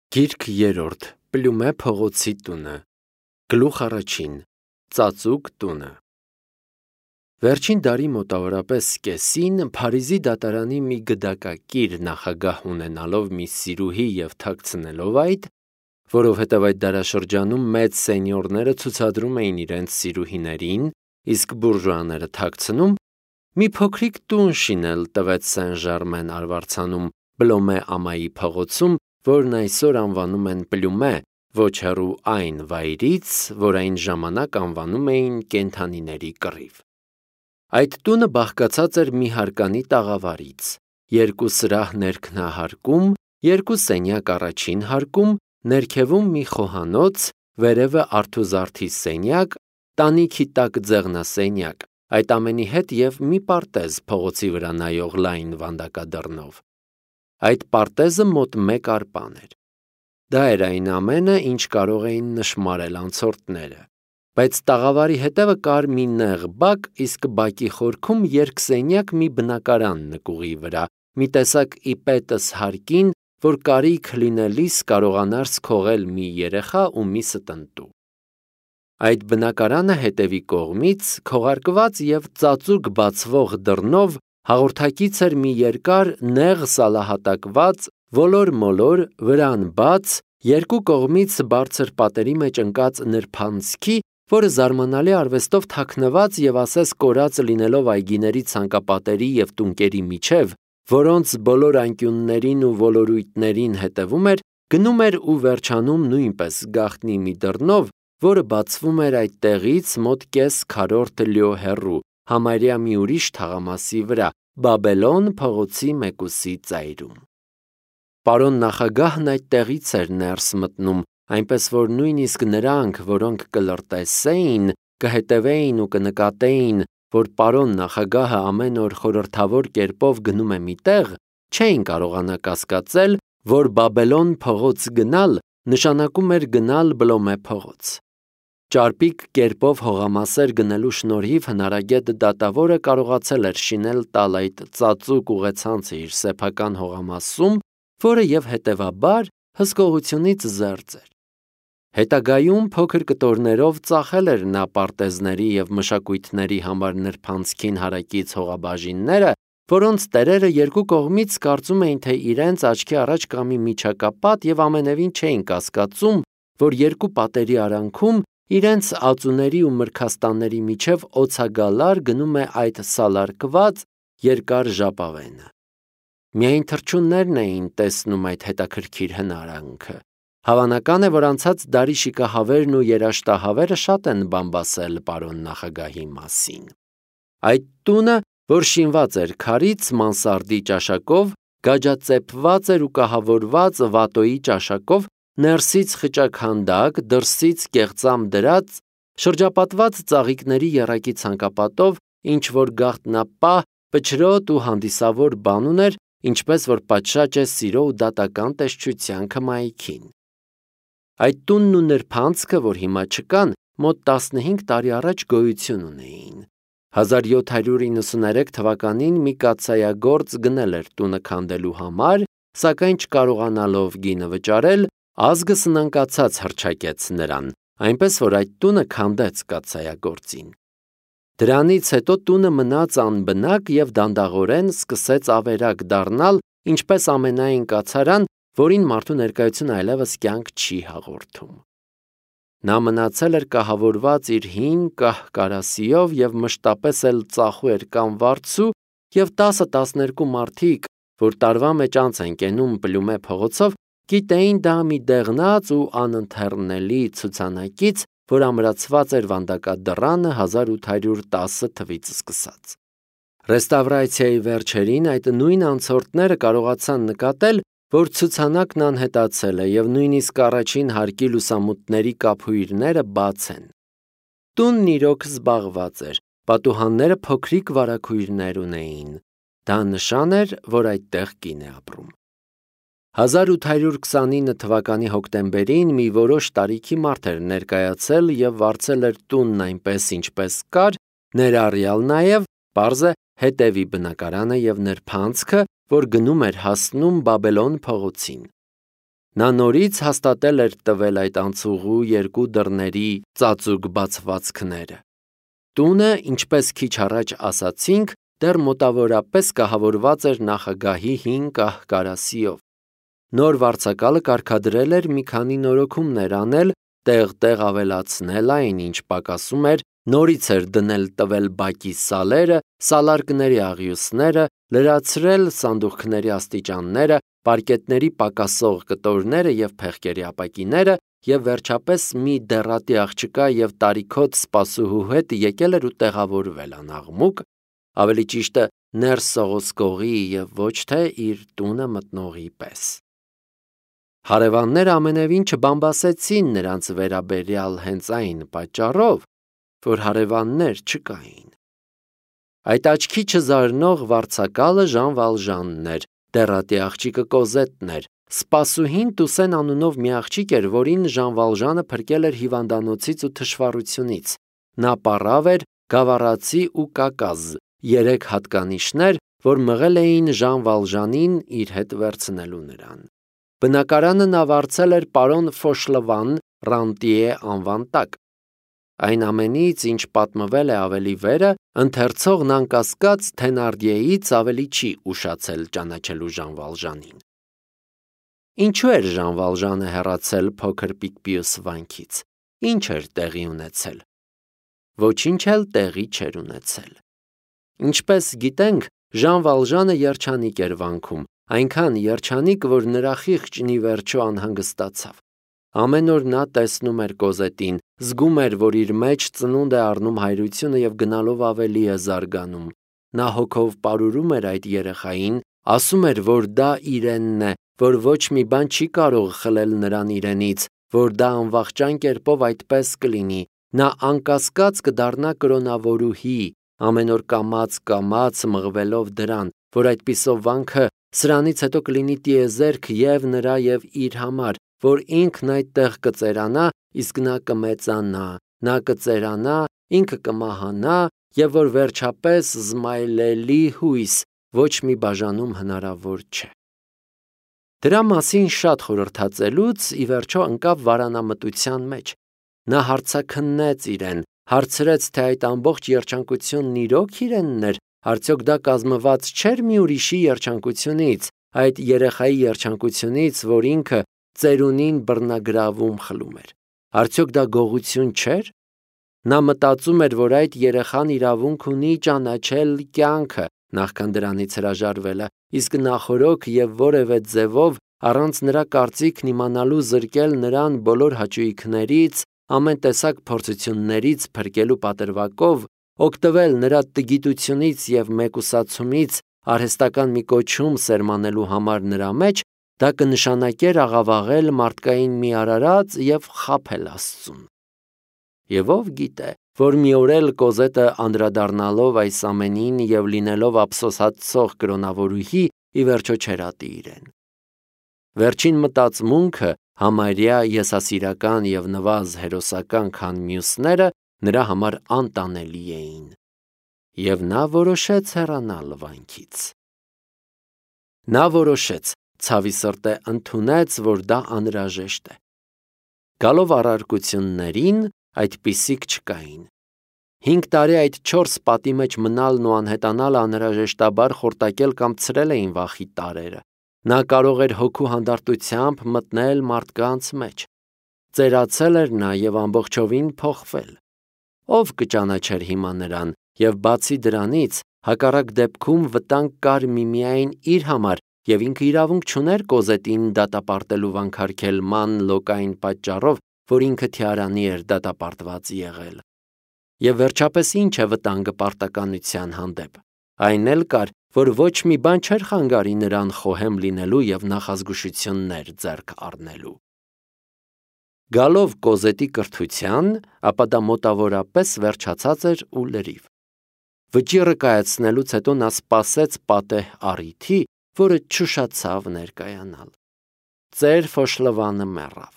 Գիրք երրորդ, Պլյումե փողոցի տունը, գլուխ առաջին, ծածուկ տունը։ Վերջին դարի մոտավորապես կեսին Փարիզի դատարանի մի գդակակիր նախագահ ունենալով մի սիրուհի և թաքցնելով այդ, որովհետև այդ դարաշրջանում մեծ սենյորները ցուցադրում էին իրենց սիրուհիներին, իսկ բուրժուաները թաքցնում, մի փոքրիկ տուն շինել տվեց Սեն-Ժարմեն արվարձանում Պլոմե ամայի փողոցում, որն այսօր անվանում են Պլյումե, ոչ հեռու այն վայրից, որ այն ժամանակ անվանում էին կենդանիների կռիվ։ Այդ տունը բաղկացած էր մի հարկանի տաղավարից, երկու սրահ ներքնահարկում, երկու սենյակ առաջին հարկում, ներքևում մի խոհանոց, վերևը արթուզարդի սենյակ, տանիքի տակ ձեղնասենյակ, այդ ամենի հետ և մի պարտեզ փողոցի վրա նայող լայն վանդակադռնով։ Այդ պարտեզը մոտ 1 արպան էր։ Դա էր այն ամենը, ինչ կարող էին նշմարել անցորդները, բայց տաղավարի հետևը կար մի նեղ բակ, իսկ բակի խորքում երկսենյակ մի բնակարան նկուղի վրա, մի տեսակ իպետս հարկին, որ կարիք լինելիս կարողանար սքողել մի երեխա ու մի ստնտու։ Այդ բնակարանը հետևի կողմից, քողարկված և ծածուկ բացվող դռնով, հաղորդակից էր մի երկար, նեղ սալահատակված, ոլոր-մոլոր, վրան բաց, երկու կողմից բարձր պատերի մեջ ընկած նրբանցքի, որը զարմանալի արվեստով թաքնված և ասես կորած լինելով այգիների ցանկապատերի և տունկերի միջև, որոնց բոլոր անկյուններին ու ոլորույթներին հետևում էր, գնում էր ու վերջանում նույնպես գաղտնի մի դռնով, որը բացվում էր այդ տեղից մոտ կես քառորդ լյո հեռու, համարյա մի ուրիշ թաղամասի վրա, Բաբելոն փողոցի մեկուսի ծայրում։ Պարոն նախագահն այդտեղից էր ներս մտնում, այնպես որ նույնիսկ նրանք, որոնք կլրտեսեին, կհետևեին ու կնկատեին, որ պարոն նախագահը ամեն օր խորհրդավոր կերպով գնում է մի տեղ, չէին կարողանա կասկածել, որ Բաբելոն փողոց գնալ նշանակում էր գնալ Պլոմե փողոց։ Ճարպիկ կերպով հողամասեր գնելու շնորհիվ հնարագետ դատավորը կարողացել էր շինել տալ այդ ծածուկ ուղեցանցը իր սեփական հողամասում, որը և հետևաբար հսկողությունից զերծ էր։ Հետագայում փոքր կտորներով ծախել էր նա պարտեզների և մշակույթների համար նրբանցքին հարակից հողաբաժինները, որոնց տերերը երկու կողմից կարծում էին, թե իրենց աչքի առաջ կա մի միջակապատ և ամենևին չէին կասկածում, որ երկու պատերի արանքում իրենց ածուների ու մրգաստանների միջև օձագալար գնում է այդ սալարկված երկար ժապավենը։ Միայն թռչուններն էին տեսնում այդ հետաքրքիր հնարանքը։ Հավանական է, որ անցած դարի շիկահավերն ու երաշտահավերը շատ են բամբասել պարոն նախագահի մասին։ Այդ տունը, որ շինված էր քարից, մանսարդի ճաշակով, գաջածեպված էր ու կահավորված վատոյի ճաշակով, ներսից խճաքանդակ, դրսից կեղծամ դրած, շրջապատված ծաղիկների եռակի ցանկապատով, ինչ-որ գաղտնապահ, պչրոտ ու հանդիսավոր բան ուներ, ինչպես որ պատշաճ է սիրո ու դատական տեսչության քմայքին։ Այդ տունն ու նրբանցքը, որ հիմա չկան, մոտ 15 տարի առաջ գոյություն ունեին։ 1793 թվականին մի կաթսայագործ գնել էր տունը քանդելու համար, սակայն չկարողանալով գինը վճարել, ազգը սնանկացած հռչակեց նրան, այնպես որ այդ տունը քանդեց կաթսայագործին։ Դրանից հետո տունը մնաց անբնակ և դանդաղորեն սկսեց ավերակ դառնալ, ինչպես ամենայն կացարան, որին մարդու ներկայությունը այլևս կյանք չի հաղորդում։ Նա մնացել էր կահավորված իր հին կահ-կարասիով և մշտապես էլ ծախու էր կամ վարձու, և 10-12 մարդիկ, որ տարվա մեջ անց են կենում Պլյումե փողոցով, գիտեին դա մի դեղնած ու անընթեռնելի ցուցանակից, որ ամրացված էր վանդակադռանը 1810 թվից սկսած։ Ռեստավրացիայի վերջերին այդ նույն անցորդները կարողացան նկատել, որ ցուցանակն անհետացել է և նույնիսկ առաջին հարկի լուսամուտների կափույրները բաց են։ Տունն իրոք զբաղված էր, պատուհանները փոքրիկ վարագույրներ ունեին։ Դա նշան էր, որ այդտեղ կին է ապրում։ 1829 թվականի հոկտեմբերին մի որոշ տարիքի մարդ էր ներկայացել և վարձել էր տունն այնպես, ինչպես կար, ներառյալ նաև, պարզ է, հետևի բնակարանը և նրբանցքը, որ գնում էր հասնում Բաբելոն փողոցին։ Նա նորից հաստատել էր տվել այդ անցուղու երկու դռների ծածուկ բացվածքները։ Տունը, ինչպես քիչ առաջ ասացինք, դեռ մոտավորապես կահավորված էր նախագահի հին կահ-կարասիով։ Նոր վարձակալը կարգադրել էր մի քանի նորոգումներ անել, տեղ-տեղ ավելացնել այն, ինչ պակասում էր, նորից էր դնել տվել բակի սալերը, սալարկների աղյուսները, լրացրել սանդուղքների աստիճանները, պարկետների պակասող կտորները և փեղկերի ապակիները, և վերջապես մի դեռատի աղջկա և տարիքոտ սպասուհու հետ եկել էր ու տեղավորվել անաղմուկ, ավելի ճիշտը ներս սողոսկողի և ոչ թե իր տունը մտնողի պես։ Հարևանները ամենևին չբամբասեցին նրանց վերաբերյալ հենց այն պատճառով, որ հարևաններ չկային։ Այդ աչքի չզարնող վարձակալը Ժան Վալժանն էր, դեռատի աղջիկը Կոզետն էր, սպասուհին Տուսեն անունով մի աղջիկ էր, որին Ժան Վալժանը փրկել էր հիվանդանոցից ու թշվառությունից։ Նա պառավ էր, գավառացի ու կակազ, 3 հատկանիշներ, որ մղել էին Ժան Վալժանին իր հետ վերցնելու նրան։ Բնակարանը նա վարձել էր պարոն Ֆոշլվան Ռանտիե անվան տակ։ Այն ամենից, ինչ պատմվել է ավելի վերը, ընթերցողն անկասկած Թենարդիեից ավելի չի ուշացել ճանաչելու Ժան Վալժանին։ Ինչու էր Ժան Վալժանը հեռացել փոքր Պիկպիուս վանքից։ Ինչ էր տեղի ունեցել։ Ոչինչ էլ տեղի չէր ունեցել։ Ինչպես գիտենք, Ժան Վալժանը երջանիկ էր վանքում, այնքան երջանիկ, որ նրա խիղճն ի վերջո անհանգստացավ։ Ամեն օր նա տեսնում էր Կոզետին, զգում էր, որ իր մեջ ծնունդ է առնում հայրությունը և գնալով ավելի է զարգանում։ Նա հոգով պարուրում էր այդ երեխային, ասում էր, որ դա իրենն է, որ ոչ մի բան չի կարող խլել նրան իրենից, որ դա անվախճան կերպով այդպես կլինի։ Նա անկասկած կդառնա կրոնավորուհի, ամեն օր կամաց մղվելով դրան, որ այդպիսով վանքը սրանից հետո կլինի տիեզերք և նրա և իր համար, որ ինքն այդտեղ կծերանա, իսկ նա կմեծանա, նա կծերանա, ինքը կմահանա, և որ վերջապես զմայլելի հույս, ոչ մի բաժանում հնարավոր չէ։ Դրա մասին շատ խորհրդածելուց ի վերջո ընկավ վարանամտության մեջ։ Նա հարցաքննեց իրեն, հարցրեց, թե այդ ամբողջ երջանկությունն իրոք իրենն էր, արդյոք դա կազմված չէր մի ուրիշի երջանկությունից, այդ երեխայի երջանկությունից, որ ինքը ծերունին բռնագրավում խլում էր։ Արդյոք դա գողություն չէր։ Նա մտածում էր, որ այդ երեխան իրավունք ունի ճանաչել կյանքը, նախքան դրանից հրաժարվելը, իսկ նախօրոք և որևէ ձևով առանց նրա կարծիքն իմանալու զրկել նրան բոլոր հաճույքներից, ամեն տեսակ փորձություններից փրկելու պատրվակով, օգտվել նրա տգիտությունից և մեկուսացումից արհեստական մի կոչում սերմանելու համար նրա մեջ, դա կնշանակեր աղավաղել մարդկային մի արարած և խաբել Աստծուն։ Եվ ով գիտե, որ մի օր էլ Կոզետը անդրադառնալով այս ամենին և լինելով ափսոսացող կրոնավորուհի, ի վերջո չերատի իրեն։ Վերջին մտածմունքը համարյա եսասիրական և նվազ հերոսական, քան մյուսները, նրա համար անտանելի էին։ Եվ նա որոշեց հեռանալ վանքից։ Նա որոշեց, ցավի սրտե ընդունեց, որ դա անհրաժեշտ է։ Գալով առարկություններին, այդպիսիք չկային։ 5 տարի այդ 4 պատի մեջ մնալն ու անհետանալը անհրաժեշտաբար խորտակել կամ ցրել էին վախի տարրերը։ Նա կարող էր հոգու հանդարտությամբ մտնել մարդկանց մեջ։ Ծերացել էր նա և ամբողջովին փոխվել։ Ով կճանաչեր հիմա նրան, և բացի դրանից, հակառակ դեպքում վտանգ կար միմիայն իր համար, և ինքը իրավունք չուներ Կոզետին դատապարտելու վանքարգելման լոկային պատճառով, որ ինքը թիարանի էր դատապարտված եղել։ Եվ վերջապես ինչ է վտանգը պարտականության հանդեպ։ Այն էլ կար, որ ոչ մի բան չէր խանգարի նրան խոհեմ լինելու և նախազգուշություններ ձեռք առնելու։ Գալով Կոզետի կրթության, ապա դա մոտավորապես վերջացած էր ու լրիվ։ Վճիռը կայացնելուց հետո նա սպասեց պատեհ առիթի, որը չուշացավ ներկայանալ։ Ծեր Ֆոշլվանը մեռավ։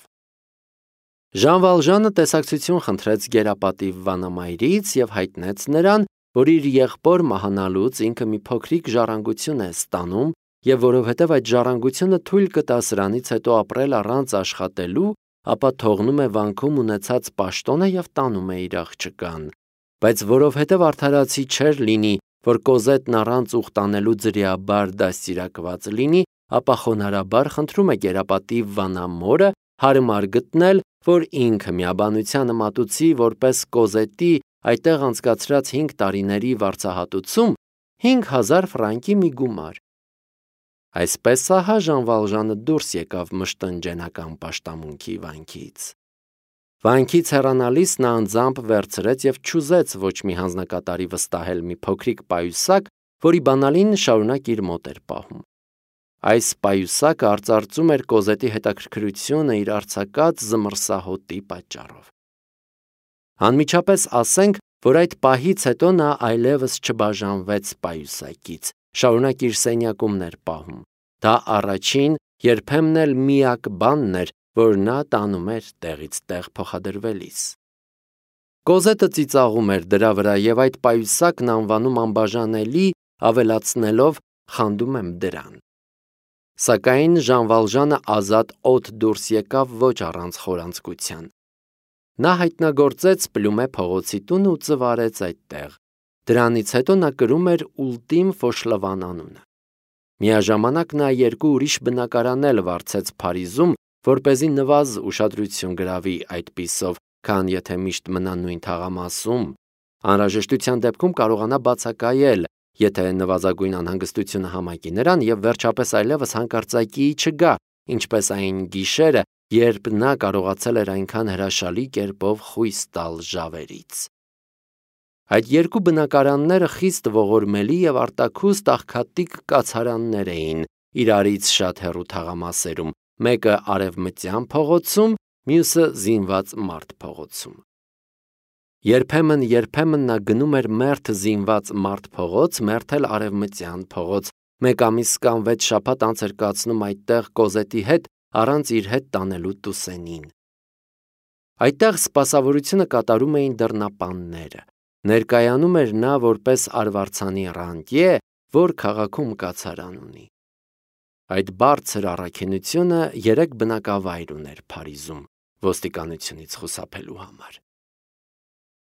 Ժան Վալժանը տեսակցություն խնդրեց գերապատիվ վանամայրից և հայտնեց նրան, որ իր եղբոր մահանալուց ինքը մի փոքրիկ ժառանգություն է ստանում եւ որովհետեւ այդ ժառանգությունը թույլ կտա սրանից հետո ապրել առանց աշխատելու, ապա թողնում է վանքում ունեցած պաշտոնը եւ տանում է իր աղջկան, բայց որովհետեւ արդարացի չէր լինի, որ Կոզետն առանց ուխ տանելու ձրիաբար դաստիարակված լինի, ապա խոնարհաբար խնդրում է գերապատիվ վանամորը հարմար գտնել, որ ինքը միաբանությանը մատուցի որպես Կոզետի այդտեղ անցկացրած 5 տարիների վարձահատուցում 5000 ֆրանկի մի գումար։ Այսպես ահա Ժան Վալժանը դուրս եկավ մշտնջենական պաշտամունքի վանքից։ Վանքից հեռանալիս նա անձամբ վերցրեց եւ չուզեց ոչ մի հանձնակատարի վստահել մի փոքրիկ պայուսակ, որի բանալին շարունակ իր մոտ էր պահում։ Այս պայուսակը արծարծում էր Կոզետի հետաքրքրությունը իր արձակած զմռսահոտի պատճառով։ Անմիջապես ասենք, որ այդ պահից հետո նա այլևս չբաժանվեց պայուսակից, շարունակ իր սենյակումն էր պահում։ Դա առաջին, երբեմն էլ միակ բանն էր, որ նա տանում էր տեղից տեղ փոխադրվելիս։ Կոզետը ծիծաղում էր դրա վրա եւ այդ պայուսակն անվանում անբաժանելի, ավելացնելով խանդում եմ դրան։ Սակայն Ժան Վալժանը ազատ օդ դուրս եկավ ոչ առանց խորանցկության։ Նա հայտնագործեց Պլյումե փողոցի տունը ու ծվարեց այդտեղ։ Դրանից հետո նա կրում էր Ուլտիմ Ֆոշլավան անունը։ Միաժամանակ նա 2 ուրիշ բնակարան էլ վարձեց Փարիզում, որպեսզի նվազ ուշադրություն գրավի այդպիսով, քան եթե միշտ մնա նույն թաղամասում, անհրաժեշտության դեպքում կարողանա բացակայել, եթե նվազագույն անհանգստությունը համակի նրան եւ վերջապես այլևս հանկարծակի չգա, ինչպես այն գիշերը, երբ նա կարողացել էր այնքան հրաշալի կերպով խույս տալ ժավերից։ Այդ 2 բնակարանները խիստ ողորմելի եւ արտաքուստ աղքատիկ կացարաններ էին իրարից շատ հեռու թաղամասերում, մեկը Արևմտյան փողոցում, մյուսը Զինված մարդ փողոցում։ Երբեմն նա գնում էր մերթ Զինված մարդ փողոց, մերթ էլ Արևմտյան փողոց, մեկ ամիս կամ 6 շաբաթ անց էր կացնում այդտեղ Կոզետի հետ, առանց իր հետ տանելու Տուսենին։ Այդտեղ սպասավորությունը կատարում էին դռնապանները։ Ներկայանում էր նա որպես արվարձանի ռանտյե, որ քաղաքում կացարան ունի։ Այդ բարձր առաքինությունը 3 բնակավայր ուներ Փարիզում ոստիկանությունից խուսափելու համար։